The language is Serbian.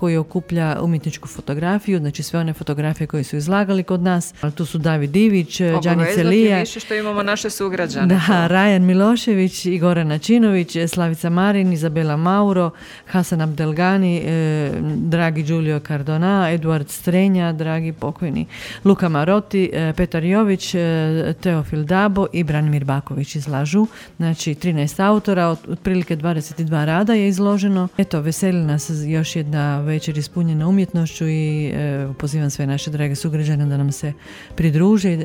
koji okuplja umjetničku fotografiju, znači sve one fotografije koje su izlagali kod nas. Tu su David Divić, Đani Celija. Više što imamo naše sugrađane. Da, Rajan Milošević, Igora Načinović, Slavica Marin, Izabela Mauro, Hasan Abdelgani, dragi Giulio Cardona, Eduard Strenja, dragi pokojni Luka Marotti, Petar Jović, Teofil Dabo i Branimir Baković izlažu. Znači 13 autora, otprilike 22 rada je izloženo. Eto, veseli nas još jedna večer ispunjena umjetnošću i pozivam sve naše drage sugrađane da nam se pridruže